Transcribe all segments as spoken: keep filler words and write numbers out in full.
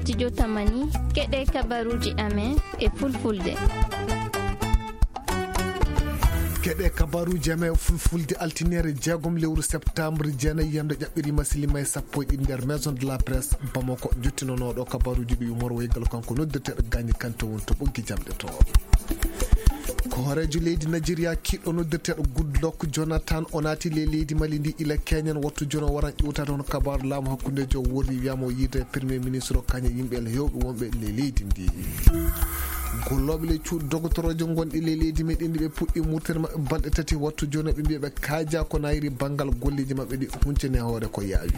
Studio Tamani, keɗe kabaruuji amen e fulfulde. Keɗe kabaruuji amen e fulfulde, altinere jeegom lewru septembre, jeenayi yamde ƴaɓɓiri masilima e sappo e ɗiɗi nder Maison de la Presse Bamako. Jottinonooɗo kabaruuji ɗi Umar Waygal, kanko noddirteeɗo Gagny Kanté, woni to ɓoggi jamɗe to. Ko hooreejo leydi Nigeria kiiɗɗo noddirteeɗo Goodluck Jonathan, o naati ley leydi Mali ndi ila keñen. Wattu jooni o waran ƴewtaade hono kabaaru laamu hakkundeejo o worri, wiyaama o yiide Premier Ministre o kañum e yimɓe heewɓe wonɓe ley leydi ndi. Gollooɓe ley cuuɗi dogotoroojo gonɗi ley leydi meɗen ndi, ɓe puɗɗi murtere maɓɓe balɗe tati. Wattu jooni ɓe mbiya ɓe kaaja ko nayri banngal golleeji maɓɓe ɗi, huncani hoore ko yaawi.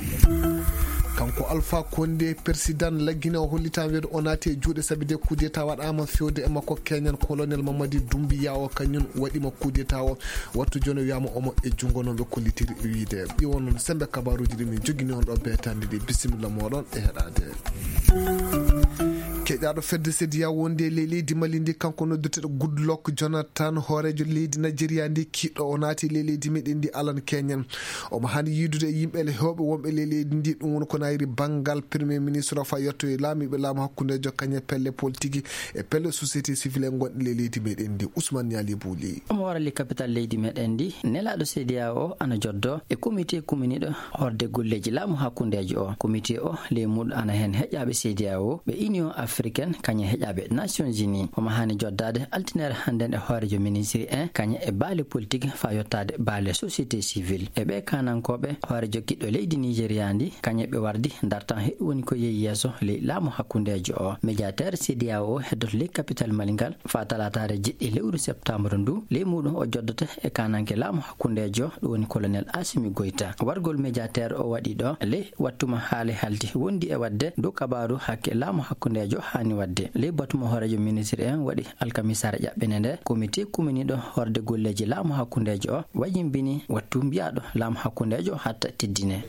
Kanko Alpha Condé, président laggine o, hollitaama wiyde o naati e juuɗe sabi de coup d'état waɗaama fewde e makko keñan colonel Mamadi Doumbouya o, kañum waɗima coup d'état o. Wattu jooni wiyaama omo e junngo, no ɓe kollitiri wiyde. Ɗi won noon semmbe kabaaruuji ɗi min njogini on ɗo beetande ɗi. Bisimilla mooɗon e heɗaade. Keƴaaɗo fedde CEDEAO wonde e ley leydi Mali ndi, kanko noddirteeɗo Goodluck Jonathan, hooreejo leydi Nigeria ndi kiiɗɗo, o naati ley leydi meɗen ndi alan keñen. Omo haani yiidude e yimɓe le heewɓe wonɓe ley leydi ndi, ɗum woni ko nayri banngal Premier Ministre o, faa yettoye laamiiɓe laamu hakkundeejo, kañum e pelle politique e pelle société civile en gonɗe ley leydi meɗen ndi. Ousmane Niali Bouli. Omo warali capital leydi meɗen ndi, nelaaɗo CEDEAO o ana joddo e comité kuminiiɗo horde golleeji laamu hakkundeejo o. Comité o, ley muuɗum ana heen heƴaaɓe CEDEAO, ɓe Union Africaine, kañum e heƴaaɓe Nations Unies. Omo haani joddaade altinere hannden e hooreejo ministre en, kañum e baale politique faa yottaade baale société civile. E ɓee kaanankooɓe, hooreejo kiiɗɗo leydi Nigeria ndi, kañum e ɓe wardi dartan heɗi woni ko yehi yeeso ley laamu hakkundeejo o. Médiateur CEDEAO o heddoto ley capital Mali ngal faa talaataare jeɗɗi lewru septembre ndu. Ley muuɗum o joddoto e kaananke laamu hakkundeejo, ɗum woni colonel Assimi Goïta. Wargol médiateur o waɗi ɗo ley wattu mo haale haldi wondi e waɗde dow kabaaru hakke laamu hakkundeejo haani waɗde. Ley batu mo hooreejo ministre en waɗi alkamisaare ƴaɓɓende nde, comité kuminiiɗo horde golleeji laamu hakkundeejo o wajimbini wattu mbiyaaɗo laamu hakkundeejo hatta teddine.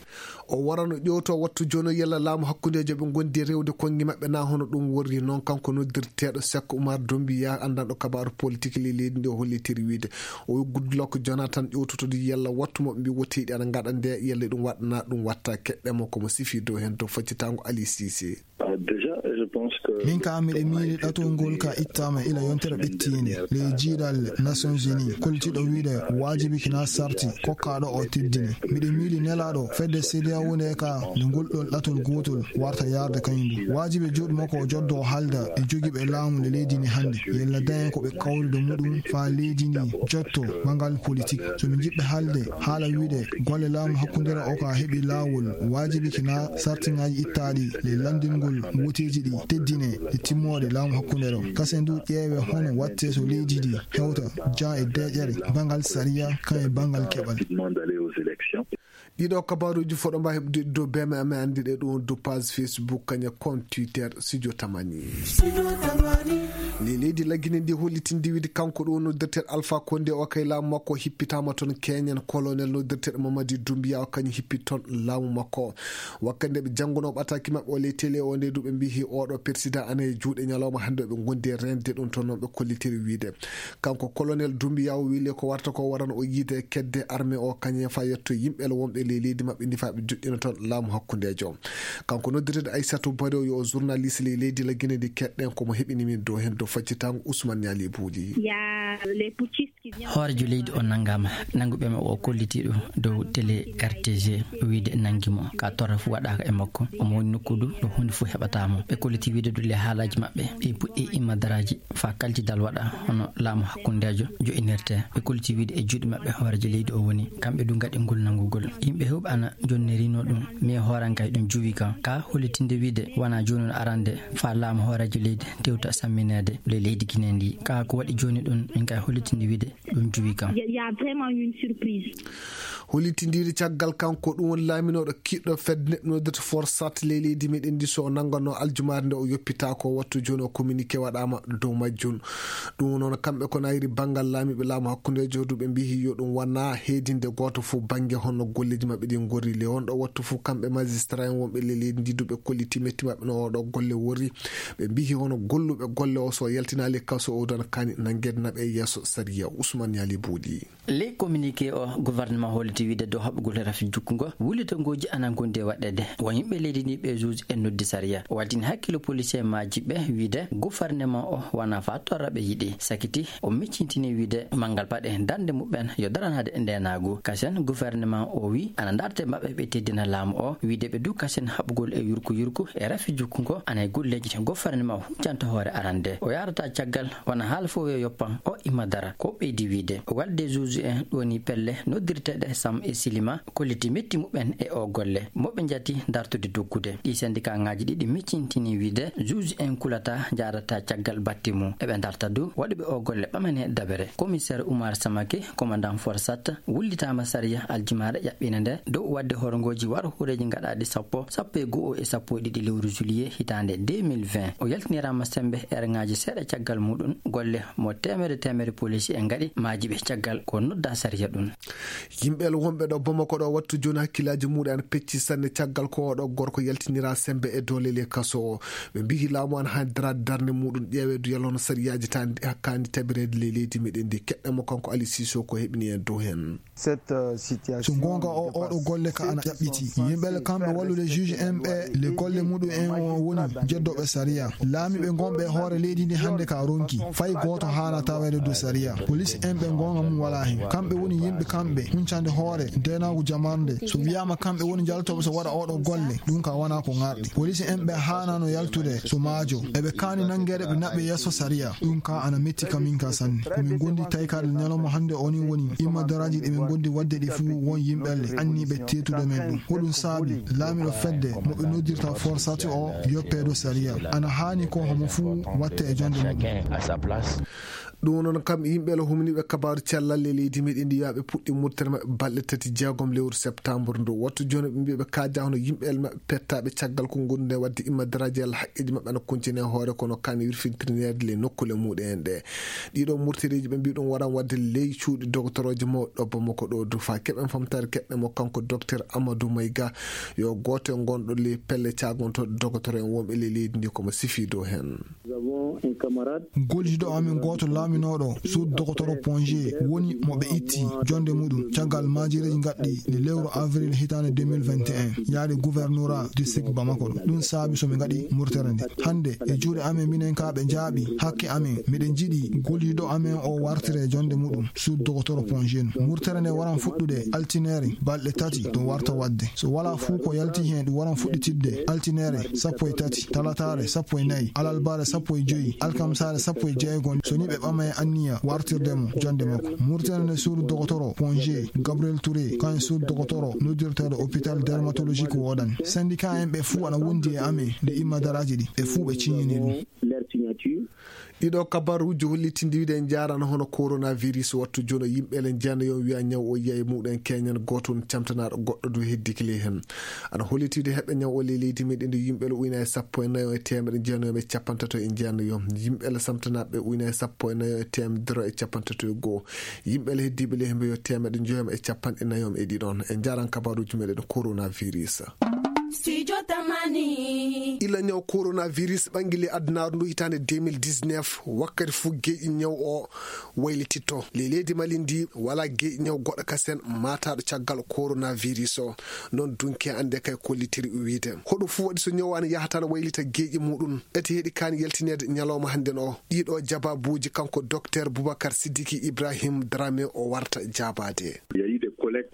O warano ƴeewto wattu jooni o yalla laamu hakkundeejo ɓe ngondi rewde konngi maɓɓe na hono ɗum worri noon. Kanko noddirteeɗo Seck Oumar Doumbouya, anndanɗo kabaaru politique ley leydi ndi, o hollitiri wiyde o wi Goodluck Jonathan ƴeewtoto ɗi yalla wattu mo ɓe mbi woteeji ana ngaɗa nde yalla ɗum waɗa na ɗum watta. Keɗɗen mo ko mo sifi dow heen dow faccitaango Ali Cissé. Ah, déjà, je pense que Min ka miɗo miili ɗatol ngol ka ittaama ila yontere ɓettiinde ley jiiɗal Nations Unies, kollitiiɗo wiyde waajibi kina sarti kokkaaɗo o teddine. Miɗo miili nelaaɗo fedde CEDEAO nde ka nde ngol ɗon ɗatol gootol warta yaarde kañum du. Waajibi juuɗe makko o joddo o haalda e jogiiɓe laamu nde leydi ndi hannde. Yalla dañen ko ɓe kawri do muɗum faa leydi ndi jotto banngal politique. So min njiɗɓe haalde haala wiyde golle laamu hakkundere o ka heɓi laawol, waajibi kina sartiŋaaji ittaaɗi le lanndingol woteeji ɗi teddine e timmooɗe laamu hakkundere o. Kasen du ƴeewe hono watte so leydi ndi hewta jan e deeƴere banngal sariya kan e banngal keɓal. Ɗiɗo kabaaruuji foɗo mba heɓde dow B M M anndi ɗe ɗum dow page Facebook kaña compte Twitter Studio Tamani. Ley leydi Lagine ndi hollitinde wiyde kanko ɗo noddirteeɗo Alpha Condé o kay laamu makko hippitaama toon keñen colonel noddirteeɗo Mamadi Doumbouya o kañum hippi toon laamu makko. Wakkati nde ɓe janngunoo ɓataaki maɓɓe o ley télé o nde du ɓe mbiyi oɗo président ana e juuɗe ñalawma hannde o ɓe ngondi e reende ɗum toon noon ɓe kollitiri wiyde. Kanko colonel Doumbouya o wili ko warta ko waran o yiide kedde armée o kañum faa yetto yimɓe le wonɓe ley leydi maɓɓe ndi faa ɓe joɗɗina toon laamu hakkundeejo. Kanko noddirteeɗo Aissatou Bari o yo o journaliste ley leydi Lagine ndi keɗɗen ko mo heɓini min dow heen dow faccitango Ousmane Niali Bouli. Hooreejo leydi o nanngaama, nannguɓe mo o kolliti ɗum dow télé R T G, o wiide nanngi mo, ka torra fof waɗaaka e makko, omo woni nokku du ɗo huunde fof heɓataa mo. Ɓe kolliti wiide du le haalaaji maɓɓe, ɓe puɗɗi immadaraaji faa kaltidal waɗa, hono laamu hakkundeejo jo'inirtee. Ɓe kolliti wiide e juuɗe maɓɓe hooreejo leydi o woni, kamɓe du ngaɗi ngol nanngugol. Yimɓe heewɓe ana jonnirinoo ɗum, mais hooran kay ɗum juwi kam. Ka hollitinde wiide wonaa jooni on arande faa laamu hooreejo leydi tewta sammineede le leydi Gine ndi. Ka ko waɗi jooni ɗum, min kay hollitinde wiide ɗum juwi kam. Il y a vraiment une surprise. Hollitindiiɗo caggal kanko ɗum woni laaminooɗo kiɗɗo fedde neɗɗo noddirta Forsat ley leydi meɗen ndi so o nannganoo aljumaare nde o yoppitaako wattu jooni o communiqué waɗaama dow majjum. Ɗum noon kamɓe ko nayri banngal laamiiɓe laamu hakkundeejo du ɓe mbiyi yo ɗum wona heedinde gooto fof bannge honno golleeji maɓɓe ɗi ngorri le on ɗo wattu fof kamɓe magistrat en wonɓe ley leydi ndi du ɓe kolliti metti maɓɓe no oɗo golle worri. Ɓe mbiyi hono golluɓe golle o so yaltinaali kaso o dana kani nanngeede naɓe yeeso sariya. Ousmane Niali Bouli. Ley communiqué o gouvernement holliti Ti wiide dow haɓugol rafi jukkungo, wullitangooji ana ngondi e waɗeede. Won yimɓe leydi ndi ɓe juge en noddi sariya. O waɗini hakkille policier maaji ɓe wiide gouvernement o wona fa torra ɓe yiɗi. Sakiti o miccintini wiide manngal paɗe darnde muɓɓen yo daranaade ndeenaagu. Kasen gouvernement o wi ana ndarte maɓɓe ɓe teddina laamu o, wiide ɓe du kasen haɓugol e yurku yurku e rafi jukkungo ana e golleeji gouvernement o huncanta hoore arande. O yarata caggal wona haala fof yo yoppan o imma dara. Ko ɓeydi wiide walde juge en ɗoni pelle noddirteeɗe Sam e Silima kolliti metti muɓɓen e o golle. Moɓe njati dartude doggude. Ɗi syndicat ŋaaji ɗiɗi miccintini wiide juge en kulata njarata caggal batte mum. Eɓe darta du waɗuɓe o golle ɓamane dabere. Commissaire Oumar Samake, commandant Forsat, wullitaama sariya aljumaare ƴaɓɓiinde nde dow waɗde horngooji waro hooreeji gaɗaaɗi sappo, sappo e go'o e sappo e ɗiɗi lewru juillet hitaande deux mille vingt. O yaltiniraama sembe erŋaaji seeɗa caggal muɗum golle mo teemere teemere polisi en ngaɗi maaji ɓe caggal ko nodda sariya ɗum. Yimɓe wonɓe ɗo Bamako ɗo wattu jooni hakkillaaji muɗum ana pecci sanne caggal ko oɗo gorko yaltinira sembe e doole le kaso o. Ɓe mbiyi laamu ana haani daraade darnde muɗum ƴeewe du yalon sariyaaji tan hakkaani tabireede le leydi meɗen ndi. Keɗɗe mo kanko Ali Sisoko heɓini en dow heen. So goonga o oɗo golle ka ana ƴaɓɓiti yimɓe le kamɓe wallude juge en ɓe le golle muɗum en o woni jeddoɓe sariya. Laamiɓe gonɓe e hoore leydi ndi hannde ka ronki fay gooto haana taweede dow sariya. Police en ɓe goonga mum wala heen. Kamɓe woni yimɓe kamɓe huncande hoore ndenaagu jamarnde. So wiyaama kamɓe woni jaltooɓe so waɗa oɗo golle, ɗum ka wona ko ŋarɗi. Police en ɓe haanano yaltude so maajo. Eɓe kaani nanngeede ɓe naɓɓe yeeso sariya. Ɗum ka ana metti kamin ka sanne. Ko min gondi taykaade ñalawma hannde o ni woni imma daraaji ɗi min gondi waɗde ɗi fuu won yimɓe le anniiɓe teetude men ɗum. Ko ɗum saabi laamiɗo fedde mo ɓe noddirta Forsati o yoppeedo sariya. Ana haani ko homo fuu watte e jonde muɗum. Ɗum noon kam yimɓe le humniiɓe kabaaru cellal e leydi meɗen ndi wiyaɓe puɗɗi murtere maɓɓe balɗe tati jeegom lewru septembre ndu. Wattu jooni ɓe mbiyaɓe kaaja hono yimɓe le maɓɓe pettaaɓe caggal ko gondude waɗde imma daraaji yalla haqqeeji maɓɓe ana kuncine hoore kono kani wirfintirineede le nokkule muɗum en ɗe. Ɗiɗo murtereeji ɓe mbi ɗum waran waɗde ley cuuɗi dogotoroje mawɗo Bamako ɗo dufa keɓen famtaare keɗɗe mo kanko docteur Amadou Mayga yo gooto e gonɗo ley pelle caagonto dogotoro en wonɓe ley leydi ndi komo sifi dow heen. Gollidiiɗo amen gooto laaminooɗo suudu dogotoro Ponge woni mo ɓe itti jonde muɗum caggal maajireeji gaɗɗi nde lewru avril hitaande deux mille vingt et un yaade gouvernora district Bamako ɗo. Ɗum saabi so mi ngaɗi murtere nde hannde e juuɗe amen minen ka ɓe njaaɓi hakke amen miɗen njiɗi gollidiiɗo amen o wartire jonde muɗum suudu dogotoro Ponge. Murtere nde waran fuɗɗude altineere balɗe tati ɗum warta waɗde. So wala fuu ko yalti heen ɗum waran fuɗɗitidde altineere sappo e tati, talataare sappo e nayi, alarbaare sappo e joyi, alkamsaare sappo e jeego. So ni ɓe ɓama e anniya wartirde mo jonde makko. Murtere nde suudu dogotoro Ponge Gabriel Touré kan suudu dogotoro noddirteeɗo hôpital dermatologique woɗan. Syndicat en ɓe fuu ana wondi e amen nde imma daraaji ɗi ɓe fuu ɓe ciñini ɗum. Ɗiɗo kabaruuji hollitindi wiide en njaarano hono coronavirus wattu jono yimɓe le njano yon wiya ñaw o yiya e muɗen keñan gooto on camtanaaɗo goɗɗo du heddiki ley heen. Ana hollitide heɓɓe ñaw o ley leydi meɗen nde yimɓe le uyna e sappo e nayo e teemeɗe njano e capantato e njano yon yimɓe le samtanaaɓe uyna e sappo e nayo e teemedere e capantato e goo. Yimɓe le heddiiɓe le hembe yo teemeɗe njoyom e capanɗe nayom e ɗiɗon e njaran kabaruuji meɗen coronavirus. Studio Tamani. Ila ñaw coronavirus ɓanngili adunaaru ndu hitaande deux mille dix-neuf wakkati fof geeƴi ñaw o waylititto. Ley leydi Mali ndi wala geeƴi ñaw goɗɗo kasen mataɗo caggal coronavirus o. Noon dunke annde kay kollitiri wiide hoɗo fof waɗi so ñaw an yahata na waylita geeƴi muɗum. Ete heɗi kaani yaltineede ñalawma hannden o. Ɗiɗo jababuuji kanko docteur Boubacar Sidiki Ibrahim Dramé o warta jaabaade.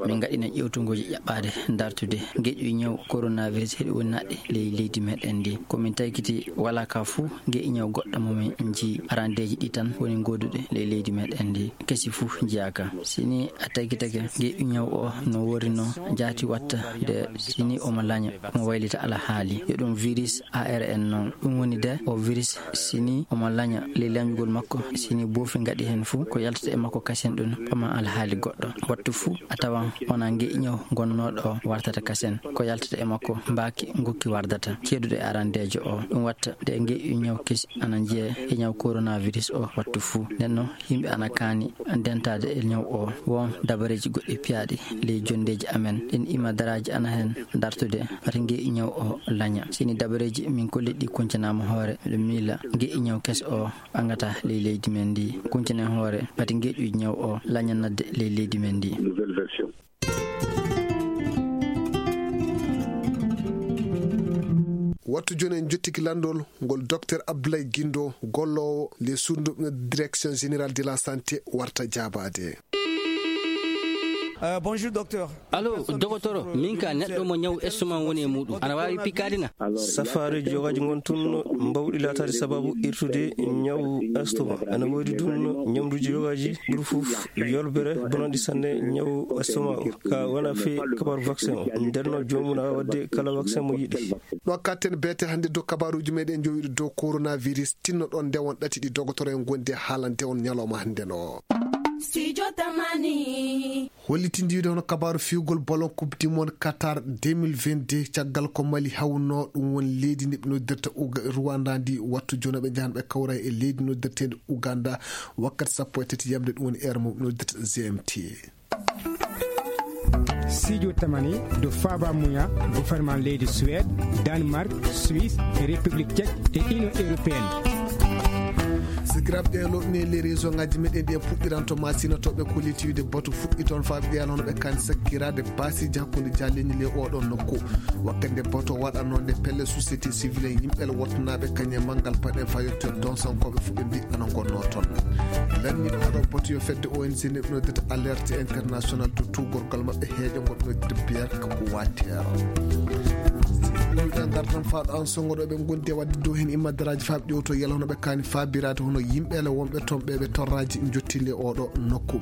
Min ngaɗina ƴewtungooji ƴaɓɓaade dartude geƴƴu ñaw coronavirus heɗi woni naɗɗe ley leydi meɗen ndi. Ko min taykiti wala ka fuu geƴƴu ñaw goɗɗo mo min nji arandeeji ɗi tan woni goduɗe ley leydi meɗen ndi. Kesi fuu njiyaaka. Sini a taykitake geƴƴu ñaw o no worino jaati watta de sini omo laña omo waylita alhaali yo ɗum virus A R N noon. Ɗum woni de o virus sini omo laña ley lañugol makko sini boofi ngaɗi heen fuu ko yaltata e makko kasen ɗum ɓama alhaali goɗɗo. Wattu fuu a tawan wona ngeƴi ñaw gonnooɗo o wartata kasen ko yaltata e makko mbaaki ngokki wardata ceeduɗo e arandeejo o. Ɗum watta de ngeƴi ñaw kesi ana njeya e ñaw coronavirus o wattu fuu. Nden noon yimɓe ana kaani ndentaade e ñaw o. Won dabareeji goɗɗi piyaaɗi ley jonndeeji amen ɗin ima daraaji ana heen dartude wata ngeƴi ñaw o laña. Sini dabareeji min kolliɗi kuncanaama hoore miɗo miila ngeƴi ñaw keso o ɓangata ley leydi men ndi. Kuncane hoore wata ngeƴu ñaw o laña nadde ley leydi men ndi. Wattu jooni en jottiki lanndol ngol Docteur Abdoulaye Guindo, golloowo les sourds direction générale de la santé warta jaabaade. Allo, dogotoro, min ka neɗɗo mo ñawu estomac woni e muɗum. Ana waawi pikkaade na? Safaareeji yogaaji ngon tun mbawɗi laataade sababu irtude ñawu estomac. Ana woodi dun ñamduuji yogaaji ɓuri fof yolbere bonanɗi sanne ñawu estomac o. Ka wona fii kabar vaccin o. Ndenno joomum na waawi waɗde kala vaccin mo yiɗi. Ɗo katten beete hannde dow kabaruuji meɗen jowiɗo dow coronavirus, tinno ɗon nde won ɗati ɗi dogotoro en gondi e haalande on ñalawma hannde no. Studio Tamani. Hollitindiiɗo hono kabaaru fiyugol ballon Coupe du Monde Qatar deux mille vingt-deux, caggal ko Mali hawno ɗum won leydi ndi ɓe noddirta Uga-, Rwanda ndi, wattu jooni ɓe njahan ɓe kawra e leydi noddirteendi Uganda wakkati sappo e tati yamde, ɗum woni heure mo ɓe noddirta G M T. Studio Tamani do Faba Muya, gouvernement leydi Suède, Danemark, Suisse, e République Tchèque e Union Européenne. Sikiraaɓe, ɗe loɗne les réseau ngaji meɗen ɗi en puɗɗiranto ma sinotooɓe ko litiwide batu fuɗɗi toon faabi ɗiya noon ɓe kan sakkiraade baasiji hakkunde jaalleñi le oɗon nokku. Wakkati nde batu waɗanoo nde pelle société civile en yimɓe le wottanaaɓe kañe manngal paɗen fayotto donsonkooɓe fuɗɗi mbiɗɗano ngonnoo toon. Lanni ɗo batu yo fedde O N G neɗɗo noddata alerte international to tuugorgal maɓɓe heeƴo ngonɗo debbiyer ko wateero. Ɗumɗen ngartan faaɗo an songoɗo ɓe gondi e wadde dow heen immadaraaji faaɓi ɗiwto yalawno ɓe kaani faabiraade hono yimɓe le wonɓe toon ɓe ɓe torraaji jottinde oɗo nokku.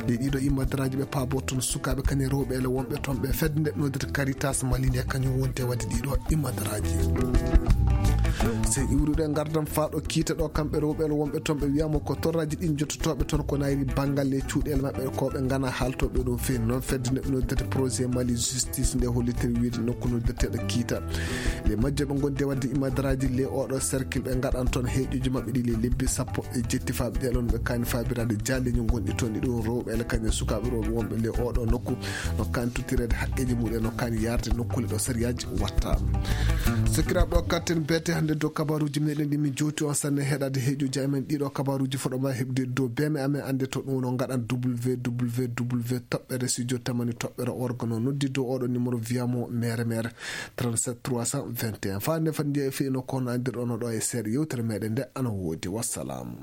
Ɗe ɗiɗo immadaraaji ɓe paabo toon sukaaɓe kañe rewɓe le wonɓe toon ɓe fedde nde noddata Caritas Mali nde kañum wonte wadde ɗiɗo immadaraaji. Sey iwruɗe ngardan faaɗo kiita ɗo kamɓe rewɓe le wonɓe toon ɓe wiyama ko torraaji ɗin jottotooɓe toon ko nayri banngal e cuuɗele maɓɓe ko ɓe ngana haaltooɓe ɗum feewi noon fedde nde noddata projet Mali justice nde hollitere wiide nokku noddeteeɗo kiita. Les majjo ɓe gondi wadde imadaraaji les oɗo cercle ɓe ngaɗan toon heeƴuji maɓɓe ɗi les lebbi sappo e jetti faaɓe ɗe ɗon ɓe kaani faabiraade jaalleñi gonɗi toon ɗi ɗum rewɓe ele kañe sukaaɓe rewɓe wonɓe les oɗo nokku no kaani tottireede haqqeeji muɗum no kaani yaarde nokkule ɗo sariyaaji watta. Sokiraaɓe o katten beete hannde dow kabaruuji meɗen ɗi min jowti on sanne heɗaade heeƴuji amen ɗiɗo kabaruuji foɗo ma heɓde dow beeme amen annde to ɗum no ngaɗan www toɓɓere studio tamani toɓɓere organo noddi dow oɗo numéro wiyamo mere mere trente-sept trois cent vingt et un. Faa nde fannde e fino kono anndirɗono ɗo e seeɗa yewtere meɗen nde ana woodi. Wassalam.